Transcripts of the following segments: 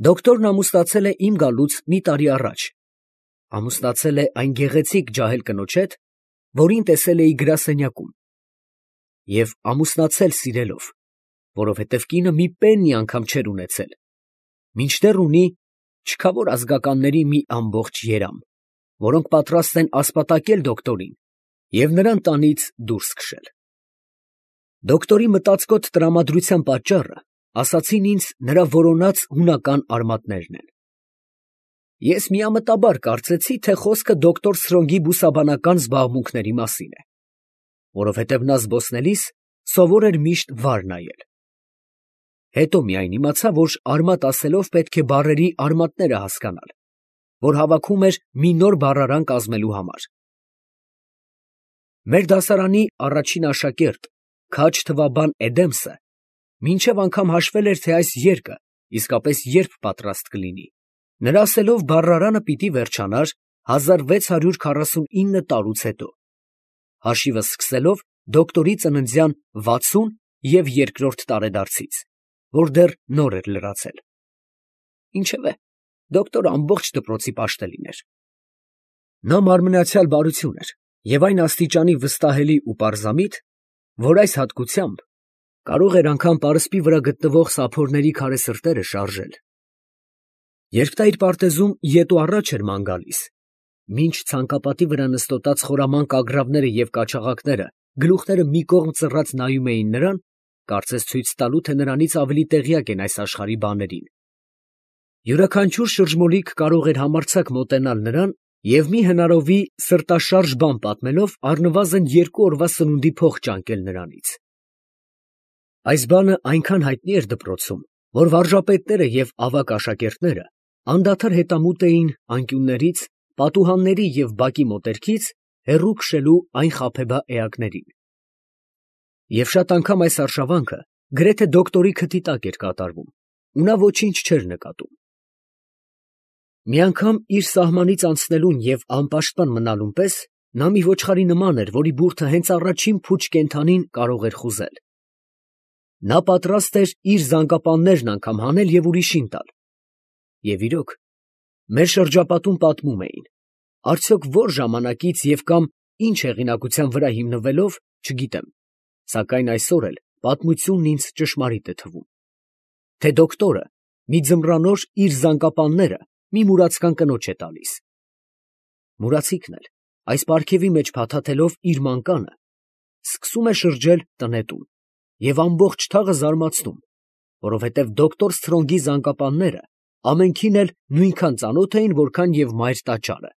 Դոկտորն ամուսնացել է իմ գալուց մի տարի առաջ, ամուսնացել է այն գեղեցիկ ջահել կնոջ հետ, որին տեսել էի գրասենյակում, և ամուսնացել սիրելով, որովհետև կինը մի պեննի անգամ չէր ունեցել, մինչդեռ ունի չքավոր ազգականների մի ամբողջ երամ, որոնք պատրաստ են ասպատակել դոկտորին և նրան տանից դուրս քշել։ Դոկտորի մտածկոտ տրամադրության պատճառը, ասացին ինձ, նրա որոնած հունական արմատներն են։ Ես միամտաբար կարծեցի, թե խոսքը դոկտոր Սրոնգի բուսաբանական զբաղմունքների մասին է, որովհետև նա զբոսնելիս սովոր էր միշտ վար նայել։ Հետո միայն իմացա, որ արմատ ասելով պետք է բառերի արմատները հասկանալ, որ հավաքում էր մի նոր բառարան կազմելու համար։ Մեր դասարանի առաջին աշակերտ քաջ թվաբան Էդեմսը մինչև անգամ հաշվել էր, թե այս երկը իսկապես երբ պատրաստ կլինի։ Նրա ասելով բառարանը պիտի վերջանար 1649 տարուց հետո, հաշիվը սկսելով դոկտորի ծննդյան 60 և երկրորդ տարեդարձից, որ դեռ նոր էր լրացել։ Ինչևէ, դոկտորը ամբողջ դպրոցի պաշտելին էր։ Նա մարմնացյալ բարություն էր և այն աստիճանի վստահելի ու պարզամիտ, որ այս հատկությամբ կարող էր անգամ պարսպի վրա գտնվող սափորների քարե սրտերը շարժել։ Երբ նա իր պարտեզում ետ ու առաջ էր ման գալիս, մինչ ցանկապատի վրա նստոտած խորամանկ ագռավները և կաչաղակները գլուխները մի կողմ ծռած նայում էին նրան, կարծես ցույց տալու, թե նրանից ավելի տեղյակ են այս աշխարհի բաներին, յուրաքանչյուր շրջմոլիկ կարող էր համարձակ մոտենալ նրան և մի հնարովի սրտաշարժ բան պատմելով առնվազն 2 օրվա սնունդի փող ճանկել նրանից։ Այս բանը այնքան հայտնի էր դպրոցում, որ վարժապետները և ավագ աշակերտները անդադար հետամուտ էին անկյուններից, պատուհանների և բակի մոտերքից հեռու քշելու այն խաբեբա էակներին։ Եվ շատ անգամ այս արշավանքը գրեթե դոկտորի քթի տակ էր կատարվում, ու նա ոչինչ չէր նկատում։ Մի անգամ իր սահմանից անցնելուն և անպաշտպան մնալուն պես նա մի ոչխարի նման էր, որի բուրդը հենց առաջին փուչ կենդանին կարող էր խուզել։ Նա պատրաստ էր իր զանգապաններն անգամ հանել և ուրիշին տալ։ Եվ իրոք, մեր շրջապատում պատմում էին, արդյոք որ ժամանակից և կամ ինչ հեղինակության վրա հիմնվելով, չգիտեմ, սակայն այսօր էլ պատմությունն ինձ ճշմարիտ է թվում, թե դոկտորը մի ձմռանօր իր զանգապանները մի մուրացկան կնոջ է տալիս։ Մուրացիկն էլ, այս պարգևի մեջ փաթաթելով իր մանկանը, սկսում է շրջել տնետուն և ամբողջ թաղը զարմացնում, որովհետև դոկտոր Սթրոնգի զանգապանները ամենքին էլ նույնքան ծանոթ էին, որքան և մայր տաճարը։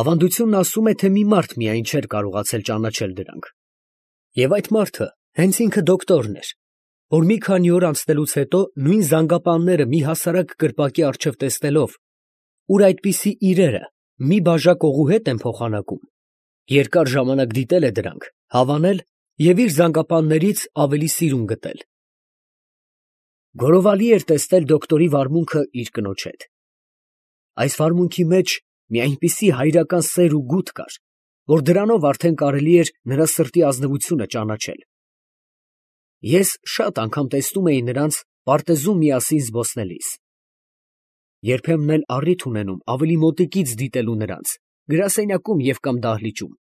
Ավանդությունն ասում է, թե մի մարդ միայն չէր կարողացել ճանաչել դրանք, և այդ մարդը հենց ինքը դոկտորն էր, որ մի քանի օր անցնելուց հետո նույն զանգապանները մի հասարակ կրպակի առջև տեսնելով, ուր այդպիսի իրերը մի բաժակ օղու հետ են փոխանակում, երկար ժամանակ դիտել է դրանք, հավանել և իր զանգապաններից ավելի սիրուն գտել։ Գորովալի էր տեսնել դոկտորի վարմունքը իր կնոջ հետ։ Այս վարմունքի մեջ մի այնպիսի հայրական սեր ու գութ կար, որ դրանով արդեն կարելի էր նրա սրտի ազնվությունը ճանաչել։ Ես շատ անգամ տեսնում էի նրանց պարտեզում միասին զբոսնելիս, երբեմն էլ առիթ ունենում ավելի մոտիկից դիտելու նրանց գրասենյակում և կամ դահլիճում։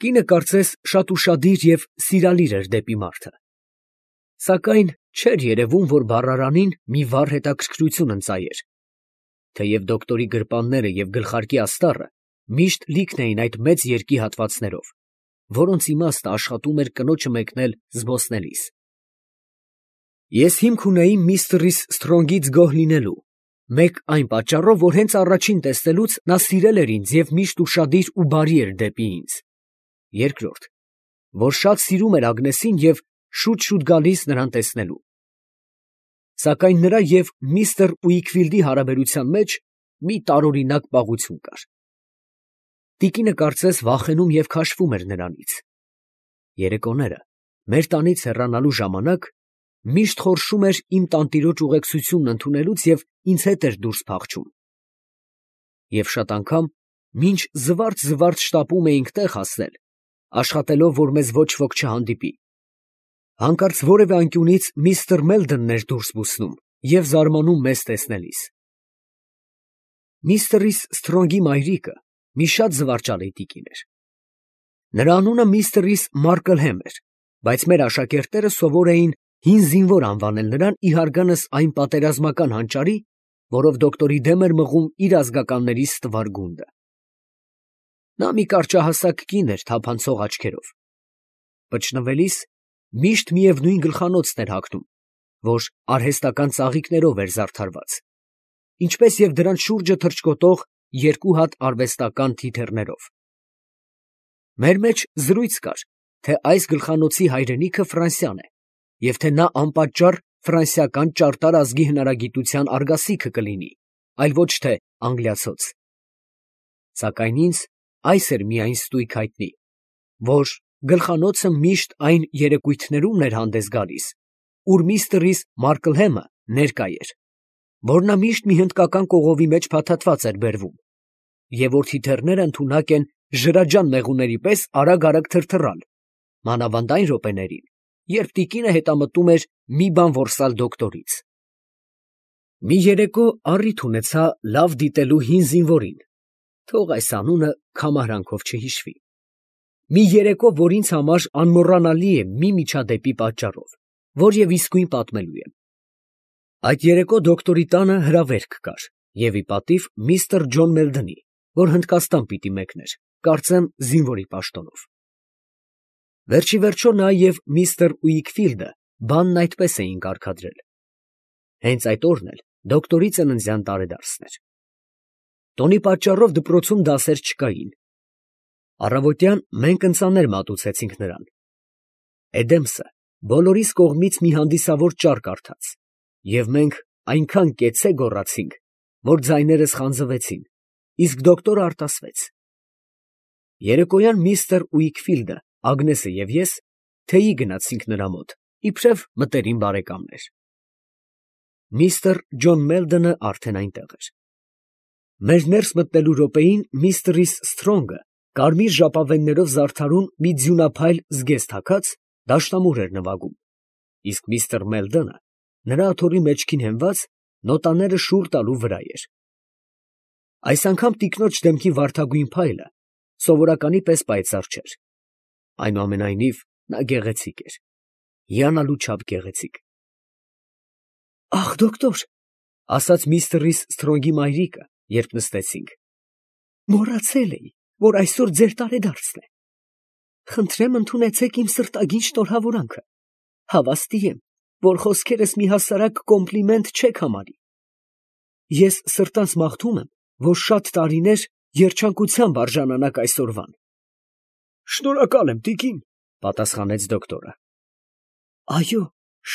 Կինը կարծես շատ ուշադիր և սիրալիր էր դեպի մարդը, սակայն չէր երևում, որ բառարանին մի վառ հետաքրքրություն ընծայեր, թեև դոկտորի գրպանները և գլխարկի աստառը միշտ լիքն էին այդ մեծ երկի հատվածներով, որոնց իմաստը աշխատում էր կնոջը մեկնել զբոսնելիս։ Ես հիմք ունեի միստր Սթրոնգից գոհ լինելու, մեկ այն պատճառով, որ հենց առաջին տեսնելուց նա սիրել էր ինձ և միշտ ուշադիր ու բարի էր դեպի ինձ, երկրորդ, որ շատ սիրում էր Ագնեսին և շուտ գալիս նրան տեսնելու։ Սակայն նրա և միստր Ուիքֆիլդի հարաբերության մեջ մի տարօրինակ պաղություն կար։ Տիկինը կարծես վախենում և քաշվում էր նրանից։ Երեկոները, մեր տանից հեռանալու ժամանակ, միշտ խորշում էր իմ տանտիրոջ ուղեկցությունն ընդունելուց և ինձ հետ էր դուրս փախչում։ Եվ շատ անգամ, մինչ զվարթ շտապում էինք տեղ հասնել, աշխատելով, որ մեզ ոչ ոք չհանդիպի, հանկարծ որևէ անկյունից միստր Մելդոնն էր դուրս բուսնում և զարմանում մեզ տեսնելիս։ Միստր Սթրոնգի մայրիկը մի շատ զվարճալի տիկին էր։ Նրա անունը միստր Մարկլհեմ էր, բայց մեր աշակերտները սովոր էին հին զինվոր անվանել նրան ի հարգանս այն պատերազմական հանճարի, որով դոկտորի դեմ էր մղում իր ազգականների ստվար գունդը։ Նա մի կարճահասակ կին էր թափանցող աչքերով։ Պճնվելիս միշտ միևնույն գլխանոցն էր հագնում, որ արհեստական ծաղիկներով էր զարդարված, ինչպես և դրանց շուրջը թռչկոտող երկու հատ արվեստական թիթեռներով։ Մեր մեջ զրույց կար, թե այս գլխանոցի հայրենիքը Ֆրանսիան է, և թե նա անպատճառ ֆրանսիական ճարտար ազգի հնարագիտության արգասիքը կլինի, այլ ոչ թե անգլիացոց։ Սակայն ինձ այս էր միայն ստույգ հայտնի, որ գլխանոցը միշտ այն երեկույթներումն էր հանդես գալիս, ուր միստր Մարկլհեմը ներկա էր, որ նա միշտ մի հնդկական կողովի մեջ փաթաթված էր բերվում, և որ թիթեռները ընդունակ են ժրաջան մեղուների պես արագ թրթռալ, մանավանդ այն րոպեներին, երբ տիկինը հետամտում էր մի բան որսալ դոկտորից։ Մի երեկո առիթ ունեցա լավ դիտելու հին զինվորին, թող այս անունը քամահրանքով չհիշվի։ Մի երեկո, որ ինձ համար անմոռանալի է մի միջադեպի պատճառով, որ և իսկույն պատմելու եմ։ Այդ երեկո դոկտորի տանը հրավերք կար, և ի պատիվ միստր Ջոն Մելդոնի, որ Հնդկաստան պիտի մեկներ, կարծեմ զինվորի պաշտոնով։ Վերջիվերջո նա և միստր Ուիքֆիլդը բանն այդպես էին կարգադրել։ Հենց այդ օրն էլ դոկտորի ծննդյան տարեդարձն էր։ Տոնի պատճառով դպրոցում դասեր չկային։ Առավոտյան մենք ընծաներ մատուցեցինք նրան։ Էդեմսը բոլորիս կողմից մի հանդիսավոր ճառ կարդաց, և մենք այնքան կեցցե գոռացինք, որ ձայներս խանձվեցին, իսկ դոկտորը արտասվեց։ Երեկոյան միստր Ուիքֆիլդը, Ագնեսը և ես թեյի գնացինք նրա մոտ, իբրև մտերիմ բարեկամներ։ Միստր Ջոն Մելդոնը արդեն այնտեղ էր։ Մեր ներս մտնելու րոպեին միստր Սթրոնգը կարմիր ժապավեններով զարդարուն մի ձյունափայլ զգեստ հագած դաշնամուր էր նվագում, իսկ միստր Մելդոնը նրա աթոռի մեջքին հենված նոտաները շուռ տալու վրա էր։ Այս անգամ տիկնոջ դեմքի վարդագույն փայլը սովորականի պես պայծառ չէր, այնուամենայնիվ նա գեղեցիկ էր, հիանալու չափ գեղեցիկ։ «Ախ, դոկտոր, ֊ ասաց միստր Սթրոնգի մայրիկը, երբ նստեցինք, ֊ մոռացել էի, որ այսօր ձեր տարեդարձն է։ Խնդրեմ ընդունեցեք իմ սրտագին շնորհավորանքը. հավաստի եմ, որ խոսքերս մի հասարակ կոմպլիմենտ չեք համարի։ Ես սրտանց մաղթում եմ, որ շատ տարիներ երջանկությամբ արժանանաք այսօրվան»։ «Շնորհակալ եմ, տիկին, ֊ պատասխանեց դոկտորը։ ֊ Այո,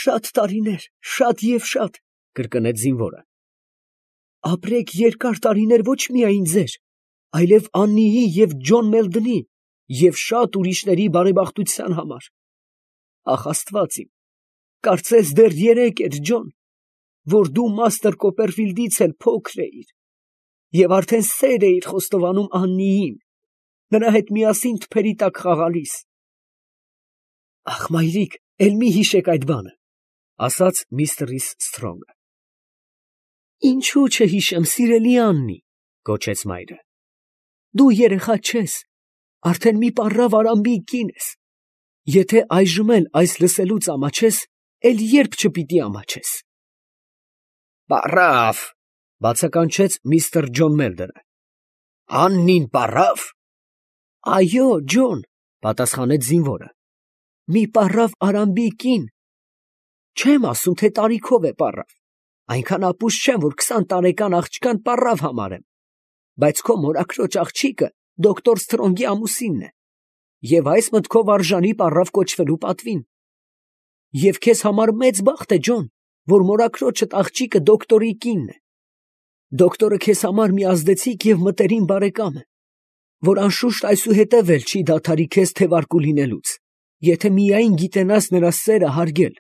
շատ տարիներ, շատ և շատ, ֊ կրկնեց զինվորը։ Ապրեք երկար տարիներ ոչ միայն ձեր, այլև Աննիի և Ջոն Մելդոնի և շատ ուրիշների բարեբախտության համար։ Ախ, Աստված իմ, կարծես դեռ երեկ էր, Ջոն, որ դու մաստր Կոպերֆիլդից էլ փոքր էիր, և արդեն սեր էիր խոստովանում Աննիին, նրա հետ միասին թփերի տակ խաղալիս։ «Ախ, մայրիկ, էլ մի հիշեք այդ բանը, ֊ ասաց միստր Սթրոնգը։ ֊ Ինչո՞ւ չհիշեմ, սիրելի Աննի, ֊ գոչեց մայրը։ ֊ Դու երեխա չես, արդեն մի պառավ Արամբի կին ես. եթե այժմ էլ այս լսելուց ամաչես, էլ երբ չպիտի ամաչես։ ֊ Պառավ, ֊ բացականչեց միստր Ջոն Մելդոնը։ ֊ Աննին պառավ։ ֊ Այո, Ջոն, ֊ պատասխանեց զինվորը, ֊ մի պառավ Արամբի կին։ Չեմ ասում, թե տարիքով է պառավ, այնքան ապուշ չեմ, որ 20 տարեկան աղջկան պառավ համարեմ, բայց քո մորաքրոջ աղջիկը դոկտոր Սթրոնգի ամուսինն է, և այս մտքով արժանի պառավ կոչվելու պատվին։ Եվ քեզ համար մեծ բախտ է, Ջոն, որ մորաքրոջդ աղջիկը դոկտորի կինն է։ Դոկտորը քեզ համար մի ազդեցիկ և մտերիմ բարեկամ է, որ անշուշտ այսուհետև էլ չի դադարի քեզ թևարկու լինելուց, եթե միայն գիտենաս նրա սերը հարգել։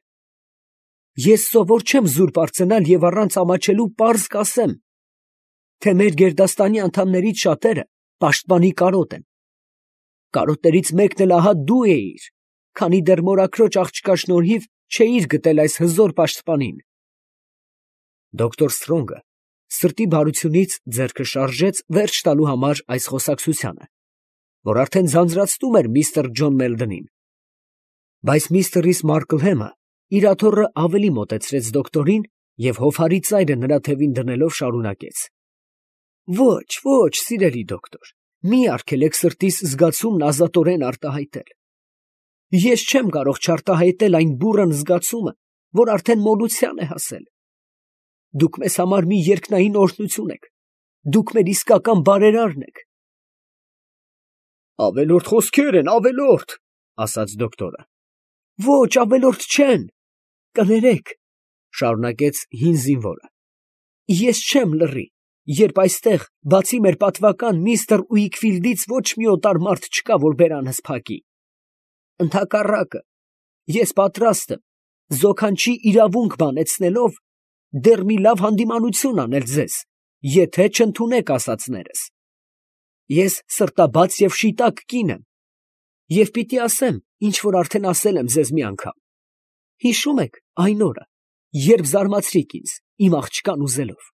Ես սովոր չեմ զուրկ արձենալ և առանց ամաչելու պարզ կասեմ, թե մեր գերդաստանի անդամներից շատերը պաշտպանի կարոտ են։ Կարոտներից մեկն էլ ահա դու էիր, քանի դեռ մորաքրոջ աղջկա շնորհիվ չէիր գտել այս հզոր պաշտպանին։ Դոկտոր Սթրոնգը սրտի բարությունից ձեռքը շարժեց վերջ տալու համար այս խոսակցությանը, որ արդեն ձանձրացնում էր միստր Ջոն Մելդոնին. բայց միստր Ռիս Մարկլհեմը իր աթոռը ավելի մոտեցրեց դոկտորին և հովհարի ծայրը նրա թևին դնելով շարունակեց. Ոչ, ոչ, սիրելի դոկտոր, մի արգելեք սրտիս զգացումն ազատորեն արտահայտել. ես չեմ կարող չարտահայտել այն բուռն զգացումը, որ արդեն մոլության է հասել. դուք մեզ համար մի երկնային օրհնություն եք, դուք մեր իսկական բարերարն եք։ Ավելորդ խոսքեր են, ավելորդ, ասաց դոկտորը։ Ոչ, ավելորդ չեն, կներեք, շարունակեց հին զինվորը։ Ես չեմ լռի, երբ այստեղ, բացի մեր պատվական միստր Ուիքֆիլդից ոչ մի օտար մարդ չկա, որ բերանս փակի։ Ընդհակառակը, ես պատրաստ եմ, զոքանչի իրավունք բանեցնելով, դեռ մի լավ հանդիմանություն անել ձեզ, եթե չընդունեք ասածներս։ Ես սրտաբաց և շիտակ կին եմ, և պիտի ասեմ, ինչ որ արդեն ասել եմ ձեզ մի անգամ։ Հիշում եք այն օրը, երբ զարմացրիք ինձ, իմ աղջկան ուզելով։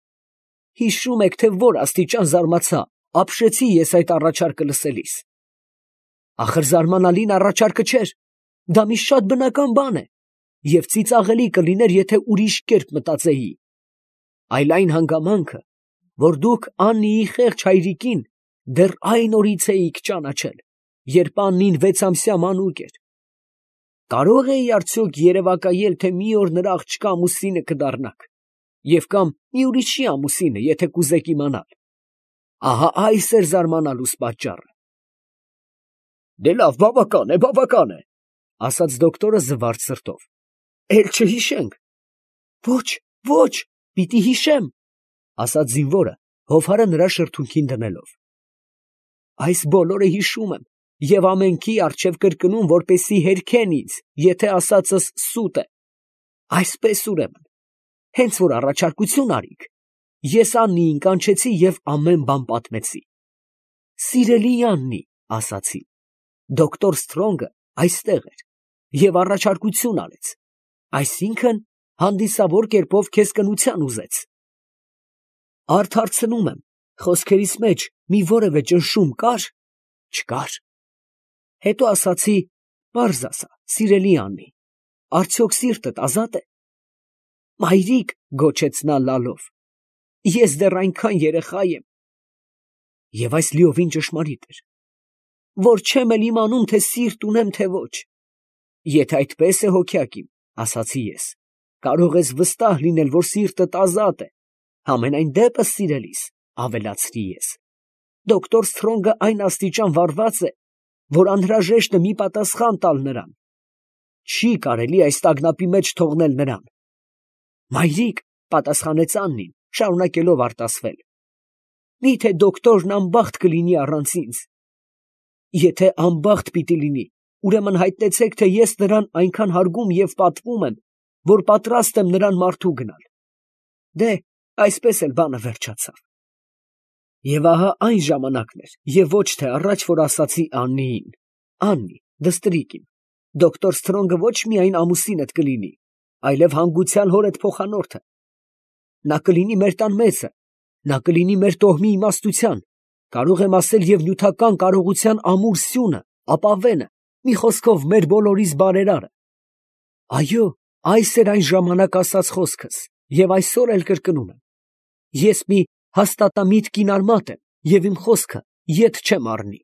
Հիշում եք, թե որ աստիճան զարմացա, ապշեցի ես այդ առաջարկը լսելիս։ Ախր զարմանալին առաջարկը չէր, դա մի շատ բնական բան է, և ծիծաղելի կլիներ, եթե ուրիշ կերպ մտածեի։ Այլ այն հանգամանքը, որ դուք Աննիի խեղճ հայրիկին դեռ այն օրից էիք ճանաչել, երբ Աննին 6-ամսյա մանուկ էր։ Կարո՞ղ էի արդյոք երևակայել, թե մի օր նրա աղջկա ամուսինը կդառնաք, և կամ մի ուրիշի ամուսինը, եթե կուզեք իմանալ։ Ահա այս էր զարմանալուս պատճառը։ Դե լավ, բավական է, ասաց դոկտորը զվարթ սրտով։ Էլ չհիշենք։ Ոչ, ոչ, պիտի հիշեմ, ասաց զինվորը, հովհարը նրա շրթունքին դնելով։ Այս բոլորը հիշում եմ և ամենքի առջև կրկնում, որպեսզի հերքեն ինձ, եթե ասածս սուտ է։ Այսպես ուրեմն, հենց որ առաջարկություն արիք, ես Աննիին կանչեցի և ամեն բան պատմեցի։ Սիրելի Աննի, ասացի, դոկտոր Սթրոնգը այստեղ էր և առաջարկություն արեց, այսինքն հանդիսավոր կերպով քեզ կնության ուզեց։ Արդ հարցնում եմ, խոսքերիս մեջ մի որևէ ճնշում կար։ Չկար։ Հետո ասացի, պարզ ասա, սիրելի Աննի, արդյոք սիրտդ ազատ է։ Մայրիկ, գոչեց նա լալով, ես դեռ այնքան երեխա եմ։ Եվ այս լիովին ճշմարիտ էր, որ չեմ էլ իմանում, թե սիրտ ունեմ, թե ոչ։ Եթե այդպես է հոգյակ իմ, ասացի ես, կարող ես վստահ լինել, որ սիրտդ ազատ է, համենայն դեպս սիրելիս, ավելացրի ես, դոկտոր Սթրոնգը այն աստիճան վարված է, որ անհրաժեշտ է մի պատասխան տալ նրան։ Չի կարելի այս տագնապի մեջ թողնել նրան։ Մայրիկ, պատասխանեց Աննին, շարունակելով արտասվել, միթե դոկտորն անբախտ կլինի առանց ինձ։ Եթե անբախտ պիտի լինի, ուրեմն հայտնեցեք, թե ես նրան այնքան հարգում և պատվում եմ, որ պատրաստ եմ նրան մարդու գնալ։ Դե, այսպես էլ բանը վերջացավ։ Եվ ահա այն ժամանակն էր, և ոչ թե առաջ, որ ասացի Աննիին. Աննի, դստրիկ իմ, դոկտոր Սթրոնգը ոչ միայն ամուսինդ կլինի, այլև հանգուցյալ հորդ փոխանորդը։ Նա կլինի մեր տան մեծը, նա կլինի մեր տոհմի իմաստության, կարող եմ ասել և նյութական կարողության ամուր սյունը, ապավենը, մի խոսքով մեր բոլորիս բարերարը։ Այո, այս էր այն ժամանակ ասած խոսքս, և այսօր էլ կրկնում եմ։ Ես մի հաստատամիտ կինարմատ եմ, և իմ խոսքը ետ չեմ առնի։